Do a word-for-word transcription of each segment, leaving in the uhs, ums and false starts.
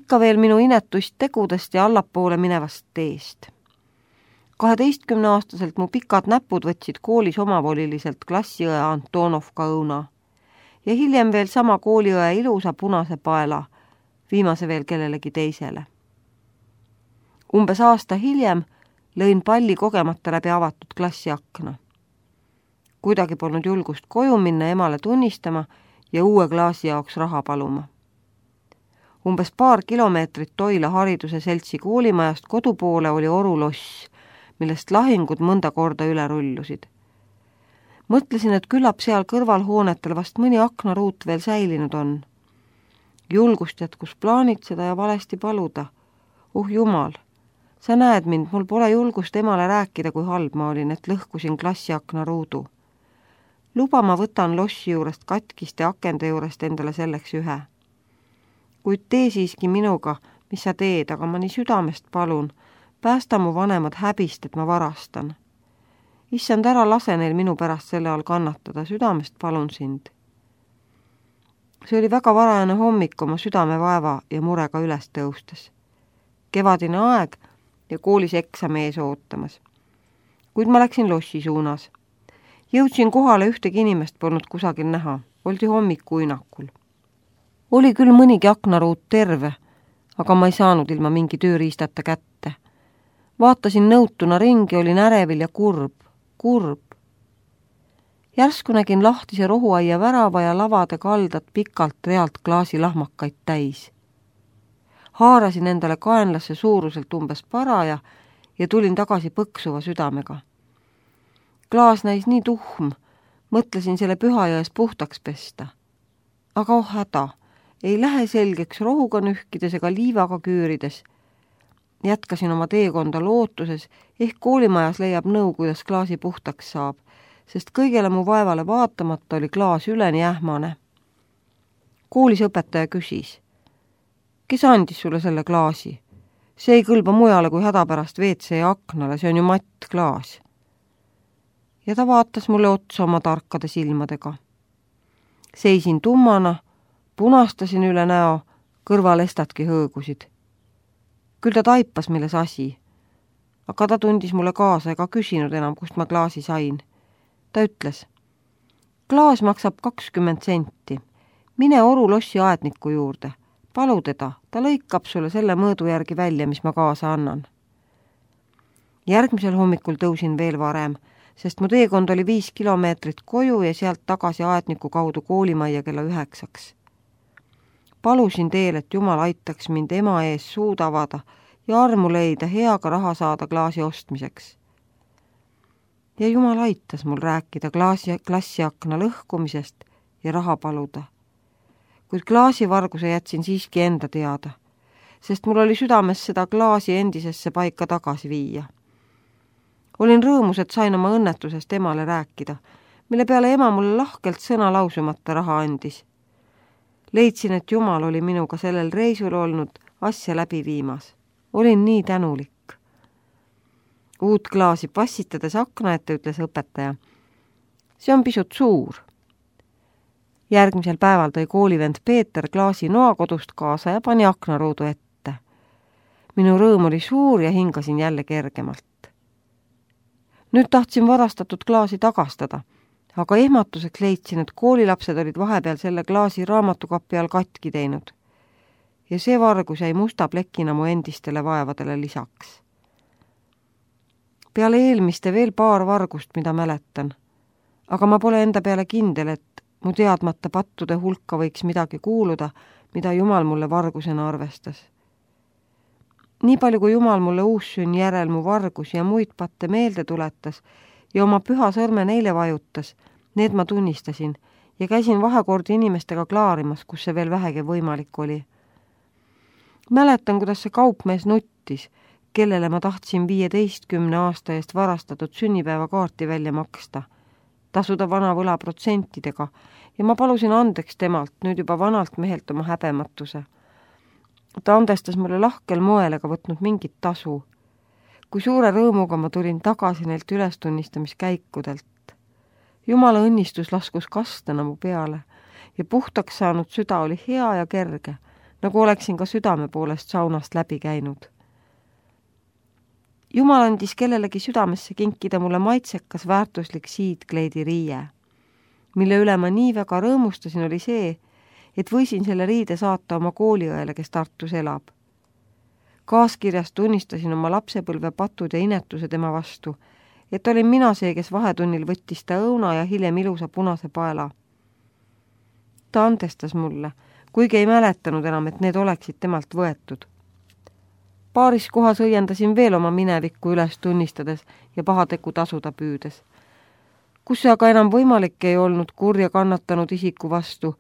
ikka veel minu inetuist tegudest ja allapoole minevast teest. kaheteistkümneaastaselt mu pikad näpud võtsid koolis omavoliliselt klassiõe Antonovka õuna ja hiljem veel sama kooliõe ilusa punase paela, viimase veel kellelegi teisele. Umbes aasta hiljem lõin palli kogemata läbi avatud klassi akna. Kuidagi polnud julgust koju minna emale tunnistama ja uue klaasi jaoks raha paluma. Umbes paar kilomeetrit Toila hariduse seltsi koolimajast kodupoole oli oruloss, millest lahingud mõnda korda üle rullusid. Mõtlesin, et küllap seal kõrvalhoonetel vast mõni aknaruut veel säilinud on. Julgust jätkus plaanitseda ja valesti paluda. Uh jumal, sa näed mind, mul pole julgust emale rääkida, kui halb ma olin, et lõhkusin klassi aknaruudu. Luba ma võtan lossi juurest katkiste akende juurest endale selleks ühe. Kuid tee siiski minuga, mis sa teed, aga ma nii südamest palun, päästa mu vanemad häbist, et ma varastan. Issand, ära lase neil minu pärast selle all kannatada, südamest palun sind. See oli väga varajane hommik oma südamevaeva ja murega üles tõustes. Kevadine aeg ja koolis eksami ees ootamas. Kuid ma läksin lossi suunas. Jõudsin kohale, ühtegi inimest polnud kusagil näha, oldi hommikuinakul. Oli küll mõnigi aknaruut terve, aga ma ei saanud ilma mingi tööriistata kätte. Vaatasin nõutuna ringi, olin ärevil ja kurb, kurb. Järsku nägin lahtise rohuaia värava ja lavade kaldat pikalt realt klaasilahmakaid täis. Haarasin endale kaenlasse suuruselt umbes paraja ja tulin tagasi põksuva südamega. Klaas näis nii tuhm, mõtlesin selle Pühajões puhtaks pesta. Aga oh häda, ei lähe selgeks rohuga nühkides ega liivaga küürides. Jätkasin oma teekonda lootuses, ehk koolimajas leiab nõu, kuidas klaasi puhtaks saab, sest kõigele mu vaevale vaatamata oli klaas üleni ähmane. Koolis õpetaja küsis, kes andis sulle selle klaasi? See ei kõlba mujale kui hädapärast V C aknale, see on ju mattklaas. Ja ta vaatas mulle otsa oma tarkade silmadega. Seisin tummana, punastasin üle näo, kõrvalestadki hõõgusid. Küll ta taipas, milles asi, aga ta tundis mulle kaasa ega küsinud enam, kust ma klaasi sain. Ta ütles, klaas maksab kakskümmend senti, mine orulossi aedniku juurde, palu teda, ta lõikab sulle selle mõõdu järgi välja, mis ma kaasa annan. Järgmisel hommikul tõusin veel varem, sest mu teekond oli viis kilomeetrit koju ja sealt tagasi aedniku kaudu koolimajja kella üheksaks. Palusin teel, et Jumal aitaks mind ema ees suud avada ja armu leida heaga raha saada klaasi ostmiseks. Ja Jumal aitas mul rääkida klaasi, klassiakna lõhkumisest ja raha paluda. Kuid klaasivarguse jätsin siiski enda teada, sest mul oli südames seda klaasi endisesse paika tagasi viia. Olin rõõmus, et sain oma õnnetusest emale rääkida, mille peale ema mulle lahkelt sõna lausumata raha andis. Leidsin, et Jumal oli minuga sellel reisul olnud asja läbi viimas. Olin nii tänulik. Uut klaasi passitades akna ette ütles õpetaja. See on pisut suur. Järgmisel päeval tõi koolivend Peeter klaasi noakodust kaasa ja pani aknaruudu ette. Minu rõõm oli suur ja hingasin jälle kergemalt. Nüüd tahtsin varastatud klaasi tagastada, aga ehmatuseks leidsin, et koolilapsed olid vahepeal selle klaasi raamatukapi all katki teinud. Ja see vargus jäi musta plekina mu endistele vaevadele lisaks. Peale eelmiste veel paar vargust, mida mäletan, aga ma pole enda peale kindel, et mu teadmata pattude hulka võiks midagi kuuluda, mida Jumal mulle vargusena arvestas. Nii palju, kui Jumal mulle uussünn järel mu vargus ja muid patte meelde tuletas ja oma püha sõrme neile vajutas, need ma tunnistasin ja käisin vahekordi inimestega klaarimas, kus see veel vähegi võimalik oli. Mäletan, kuidas see kaupmees nuttis, kellele ma tahtsin viieteistkümne aasta eest varastatud sünnipäevakaarti välja maksta, tasuda vana võla protsentidega ja ma palusin andeks temalt, nüüd juba vanalt mehelt oma häbematuse. Ta andestas mulle lahkel moel ega võtnud mingit tasu. Kui suure rõõmuga ma tulin tagasi neilt ülestunnistamiskäikudelt. Jumala õnnistus laskus kastana mu peale ja puhtaks saanud süda oli hea ja kerge, nagu oleksin ka südame poolest saunast läbi käinud. Jumal andis kellelegi südamesse kinkida mulle maitsekas väärtuslik siidkleidi riie. Mille üle ma nii väga rõõmustasin, oli see, et võisin selle riide saata oma kooliõele, kes Tartus elab. Kaaskirjast tunnistasin oma lapsepõlve patud ja inetuse tema vastu, et olin mina see, kes vahetunnil võttis ta õuna ja hiljem ilusa punase paela. Ta andestas mulle, kuigi ei mäletanud enam, et need oleksid temalt võetud. Paaris kohas õiendasin veel oma minevikku üles tunnistades ja pahateku tasuda püüdes. Kus see aga enam võimalik ei olnud kurja kannatanud isiku vastu,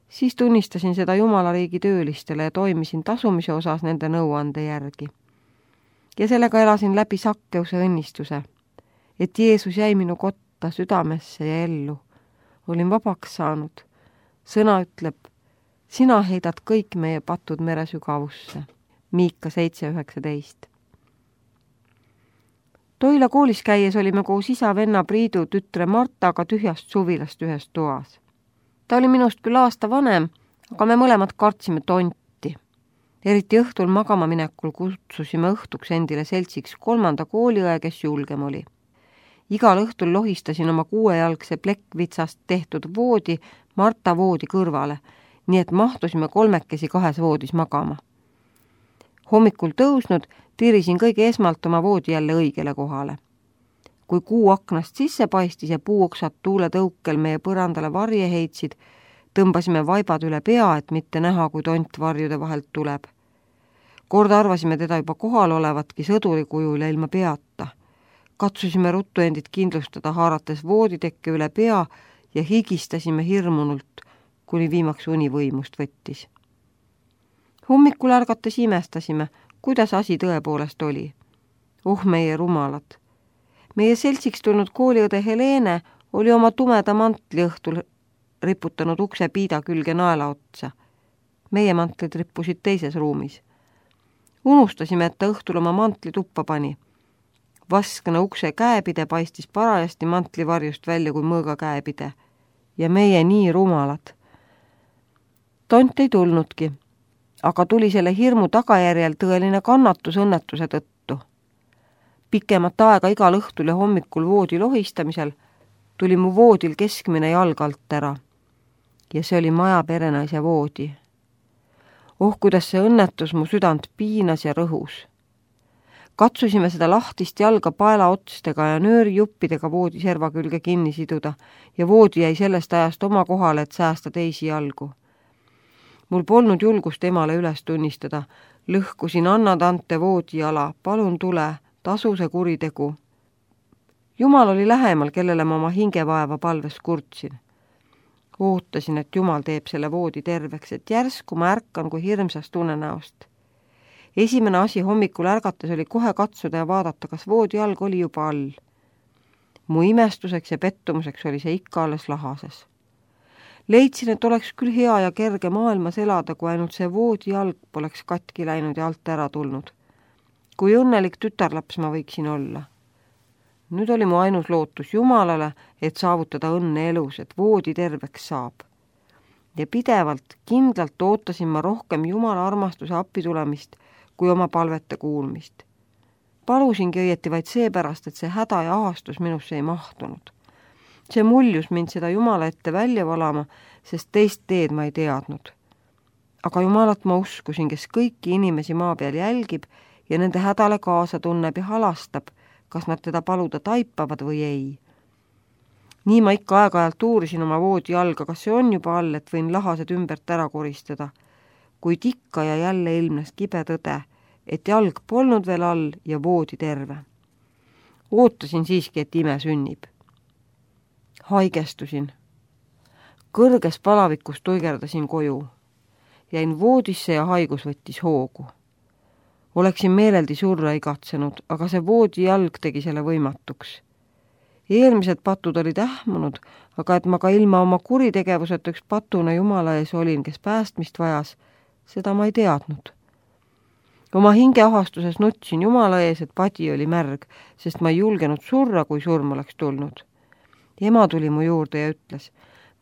siis tunnistasin seda Jumalariigi töölistele ja toimisin tasumise osas nende nõuande järgi. Ja sellega elasin läbi Sakkeuse õnnistuse, et Jeesus jäi minu kotta südamesse ja ellu. Olin vabaks saanud. Sõna ütleb, sina heidad kõik meie patud mere sügavusse. Miika seitse üheksateist. Toila koolis käies olime koos isa venna Priidu tütre Martaga tühjast suvilast ühes toas. Ta oli minust küll aasta vanem, aga me mõlemad kartsime tonti. Eriti õhtul magama minekul kutsusime õhtuks endile seltsiks kolmanda kooliõe, kes julgem oli. Igal õhtul lohistasin oma kuuejalgse plekkvitsast tehtud voodi Marta voodi kõrvale, nii et mahtusime kolmekesi kahes voodis magama. Hommikul tõusnud tirisin kõige esmalt oma voodi jälle õigele kohale. Kui kuu aknast sisse paistis ja puuoksad tuule tõukel meie põrandale varje heitsid, tõmbasime vaibad üle pea, et mitte näha, kui tont varjude vahelt tuleb. Kord arvasime teda juba kohal olevatki sõduri kujul ja ilma peata. Katsusime ruttu endid kindlustada, haarates vooditekke üle pea ja higistasime hirmunult, kuni viimaks uni võimust võttis. Hommikul ärgates imestasime, kuidas asi tõepoolest oli. Oh meie rumalad! Meie seltsiks tulnud kooliõde Helene oli oma tumeda mantli õhtul riputanud ukse piida külge naela otsa. Meie mantlid rippusid teises ruumis. Unustasime, et ta õhtul oma mantli tuppa pani. Vaskna ukse käepide paistis parajasti mantlivarjust välja kui mõõga käepide. Ja meie nii rumalad. Tont ei tulnudki, aga tuli selle hirmu tagajärjel tõeline kannatus õnnetuse tõttu. Pikemat aega igal õhtul ja hommikul voodi lohistamisel tuli mu voodil keskmine jalg alt ära. Ja see oli maja perenaise voodi. Oh, kuidas see õnnetus mu südant piinas ja rõhus. Katsusime seda lahtist jalga paela otstega ja nöörijuppidega voodi serva külge kinni siduda ja voodi jäi sellest ajast oma kohale, et säästa teisi jalgu. Mul polnud julgust emale üles tunnistada. Lõhkusin Anna Tante voodi jala, palun tule, tasu see kuritegu. Jumal oli lähemal, kellele ma oma hingevaeva palves kurtsin. Ootasin, et Jumal teeb selle voodi terveks, et järsku ma ärkan kui hirmsast unenäost. Esimene asi hommikul ärgates oli kohe katsuda ja vaadata, kas voodi jalg oli juba all. Mu imestuseks ja pettumuseks oli see ikka alles lahases. Leidsin, et oleks küll hea ja kerge maailmas elada, kui ainult see voodi jalg poleks katki läinud ja alt ära tulnud. Kui õnnelik tütarlaps ma võiksin olla. Nüüd oli mu ainus lootus Jumalale, et saavutada õnne elus, et voodi terveks saab. Ja pidevalt, kindlalt ootasin ma rohkem Jumala armastuse appi tulemist kui oma palvete kuulmist. Palusingi õieti vaid seepärast, et see häda ja ahastus minusse ei mahtunud. See muljus mind seda Jumala ette välja valama, sest teist teed ma ei teadnud. Aga Jumalat ma uskusin, kes kõiki inimesi maa peal jälgib ja nende hädale kaasa tunneb ja halastab, kas nad teda paluda taipavad või ei. Nii ma ikka aeg-ajalt uurisin oma voodi jalga, kas see on juba all, et võin lahased ümbert ära koristada. Kuid ikka ja jälle ilmnes kibe tõde, et jalg polnud veel all ja voodi terve. Ootasin siiski, et ime sünnib. Haigestusin. Kõrges palavikus tuigerdasin koju. Jäin voodisse ja haigus võttis hoogu. Oleksin meeleldi surra igatsenud, aga see voodi jalg tegi selle võimatuks. Eelmised patud olid ähmunud, aga et ma ka ilma oma kuritegevuseta üks patuna Jumala ees olin, kes päästmist vajas, seda ma ei teadnud. Oma hingeahastuses nutsin Jumala ees, et padi oli märg, sest ma ei julgenud surra, kui surm oleks tulnud. Ema tuli mu juurde ja ütles,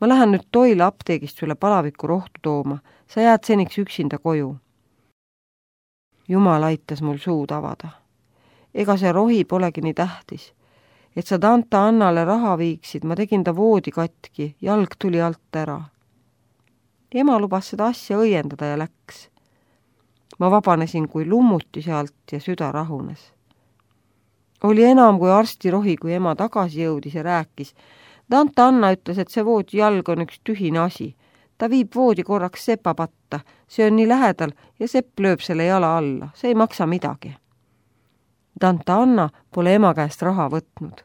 ma lähen nüüd Toila apteegist sulle palaviku rohtu tooma, sa jääd seniks üksinda koju. Jumal aitas mul suud avada. Ega see rohi polegi nii tähtis. Et sa tanta Annale raha viiksid, ma tegin ta voodi katki, jalg tuli alt ära. Ema lubas seda asja õiendada ja läks. Ma vabanesin kui lummuti sealt ja süda rahunes. Oli enam kui arstirohi, kui ema tagasi jõudis ja rääkis. Tanta Anna ütles, et see voodi jalg on üks tühine asi. Ta viib voodi korraks sepa patta, see on nii lähedal ja sepp lööb selle jala alla, see ei maksa midagi. Tanta Anna pole ema käest raha võtnud.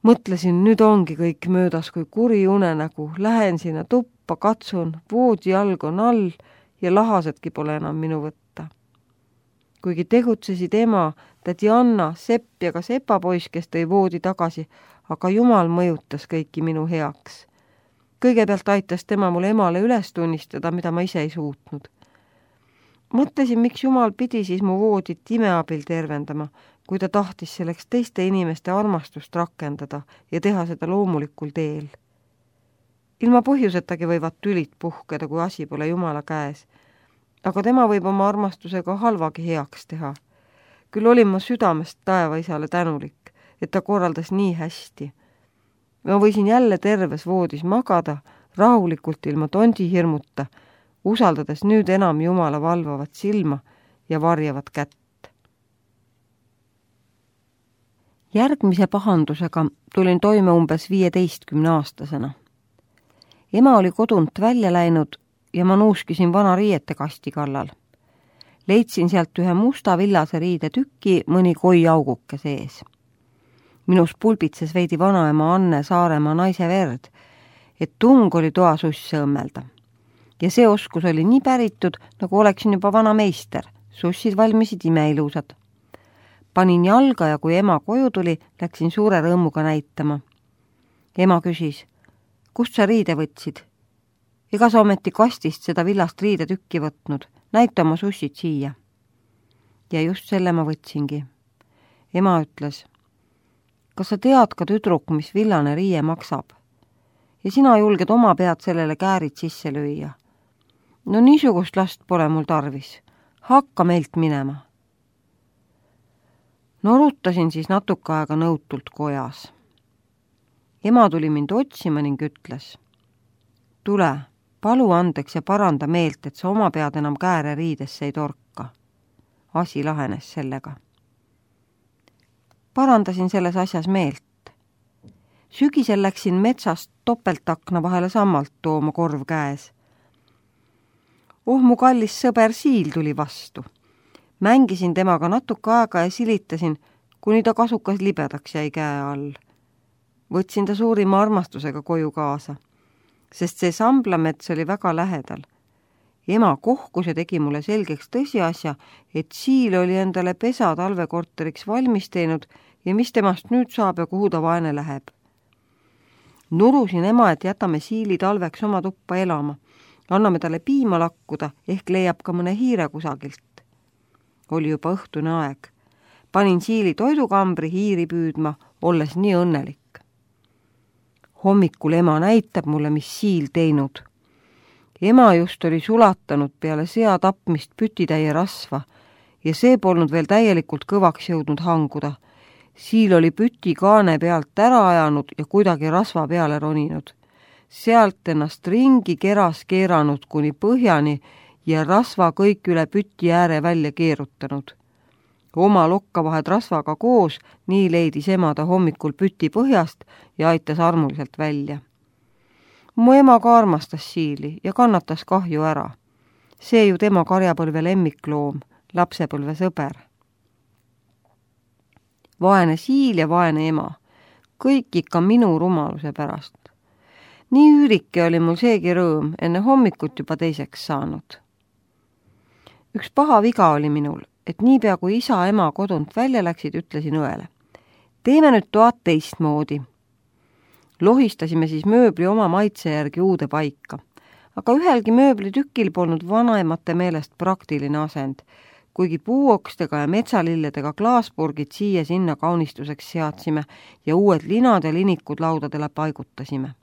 Mõtlesin, nüüd ongi kõik möödas kui kuri unenägu, lähen sinna tuppa, katsun, voodi jalg on all ja lahasedki pole enam minu võtta. Kuigi tegutsesid ema, tädi Anna, Sepp ja ka sepapoiss, kes tõi voodi tagasi, aga Jumal mõjutas kõiki minu heaks. Kõigepealt aitas tema mul emale üles tunnistada, mida ma ise ei suutnud. Mõtlesin, miks Jumal pidi siis mu voodit imeabil tervendama, kui ta tahtis selleks teiste inimeste armastust rakendada ja teha seda loomulikul teel. Ilma põhjusetagi võivad tülid puhkeda, kui asi pole Jumala käes, aga tema võib oma armastusega halvagi heaks teha. Küll olin ma südamest taevaisale tänulik, et ta korraldas nii hästi. Ma võisin jälle terves voodis magada, rahulikult ilma tondi hirmuta, usaldades nüüd enam Jumala valvavat silma ja varjavat kätt. Järgmise pahandusega tulin toime umbes viieteistkümne aastasena. Ema oli kodunt välja läinud ja ma nuuskisin vana riiete kasti kallal. Leidsin sealt ühe musta villase riide tüki mõni koi auguke sees. Minus pulbitses veidi vanaema Anne Saaremaa naise verd, et tung oli toa susse õmmelda. Ja see oskus oli nii päritud, nagu oleksin juba vana meister. Sussid valmisid imeilusad. Panin jalga ja kui ema koju tuli, läksin suure rõõmuga näitama. Ema küsis, kust sa riide võtsid? Ega sa ometi kastist seda villast riide tükki võtnud? Näita oma sussid siia. Ja just selle ma võtsingi. Ema ütles, kas sa tead ka tüdruk, mis villane riie maksab? Ja sina julged oma pead sellele käärid sisse lüüa. No niisugust last pole mul tarvis. Hakka meilt minema. Norutasin siis natuke aega nõutult kojas. Ema tuli mind otsima ning ütles, tule, palu andeks ja paranda meelt, et sa oma pead enam kääre riidesse ei torka. Asi lahenes sellega. Parandasin selles asjas meelt. Sügisel läksin metsast topeltakna vahele sammalt tooma korv käes. Oh, mu kallis sõber Siil tuli vastu. Mängisin temaga natuke aega ja silitasin, kuni ta kasukas libedaks jäi käe all. Võtsin ta suurima armastusega koju kaasa, sest see samblamets oli väga lähedal. Ema kohkus ja tegi mulle selgeks tõsiasja, et Siil oli endale pesa talvekorteriks valmis teinud ja mis temast nüüd saab ja kuhu ta vaene läheb. Nurusin ema, et jätame Siili talveks oma tuppa elama. Anname talle piima lakkuda, ehk leiab ka mõne hiire kusagilt. Oli juba õhtune aeg. Panin Siili toidukambri hiiri püüdma, olles nii õnnelik. Hommikul ema näitab mulle, mis Siil teinud. Ema just oli sulatanud peale sea tapmist pütitäie rasva ja see polnud veel täielikult kõvaks jõudnud hanguda. Siil oli püti kaane pealt ära ajanud ja kuidagi rasva peale roninud. Sealt ennast ringi keras keeranud kuni põhjani ja rasva kõik üle püti ääre välja keerutanud. Oma lokkavahed rasvaga koos, nii leidis ema ta hommikul püti põhjast ja aitas armuliselt välja. Mu ema ka armastas Siili ja kannatas kahju ära. See ju tema karjapõlve lemmikloom, lapsepõlve sõber. Vaene Siil ja vaene ema, kõik ikka minu rumaluse pärast. Nii üürike oli mul seegi rõõm, enne hommikut juba teiseks saanud. Üks paha viga oli minul, et niipea kui isa ema kodunt välja läksid, ütlesin õele. Teeme nüüd toad teistmoodi. Lohistasime siis mööbli oma maitse järgi uude paika, aga ühelgi mööblitükil polnud vanaemate meelest praktiline asend, kuigi puuokstega ja metsalilledega klaaspurgid siia-sinna kaunistuseks seadsime ja uued linad ja linikud laudadele paigutasime.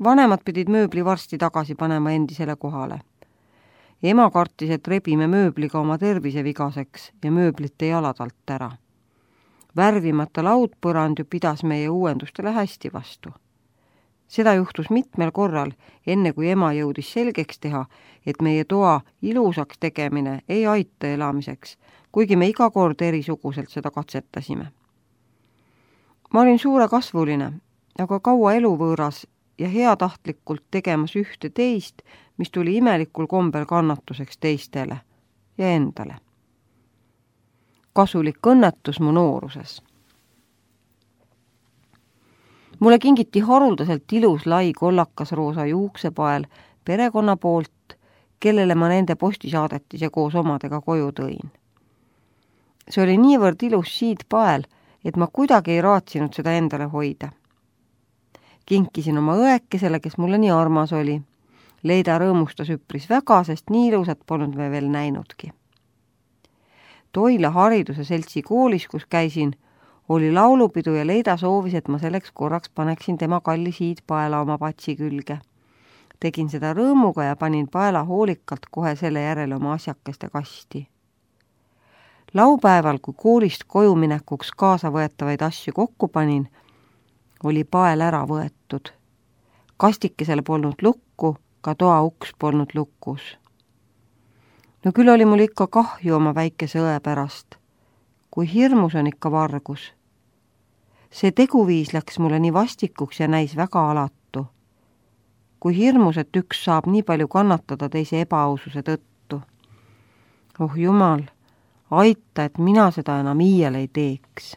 Vanemad pidid mööbli varsti tagasi panema endisele kohale. Ema kartis, et rebime mööbliga oma tervise vigaseks ja mööblite jalad alt ära. Värvimata laudpõrand ju pidas meie uuendustele hästi vastu. Seda juhtus mitmel korral, enne kui ema jõudis selgeks teha, et meie toa ilusaks tegemine ei aita elamiseks, kuigi me iga kord erisuguselt seda katsetasime. Ma olin suure kasvuline, aga kaua eluvõõras ja heatahtlikult tegemas ühte teist, mis tuli imelikul kombel kannatuseks teistele ja endale. Kasulik õnnetus mu nooruses. Mulle kingiti haruldaselt ilus lai kollakas roosa juuksepael perekonna poolt, kellele ma nende postisaadetis ja koos omadega koju tõin. See oli niivõrd ilus siidpael, et ma kuidagi ei raatsinud seda endale hoida. Kinkisin oma õekesele, kes mulle nii armas oli. Leida rõõmustas üpris väga, sest nii ilusat polnud me veel näinudki. Toila hariduse seltsi koolis, kus käisin, oli laulupidu ja Leida soovis, et ma selleks korraks paneksin tema kalli siidpaela oma patsi külge. Tegin seda rõõmuga ja panin paela hoolikalt kohe selle järele oma asjakeste kasti. Laupäeval, kui koolist koju minekuks kaasa võetavaid asju kokku panin, oli pael ära võetud. Kastikesel polnud lukku, ka toa uks polnud lukus. No küll oli mul ikka kahju oma väikese õe pärast. Kui hirmus on ikka vargus. See teguviis läks mulle nii vastikuks ja näis väga alatu. Kui hirmus, et üks saab nii palju kannatada teise ebaaususe tõttu. Oh jumal, aita, et mina seda enam iial ei teeks.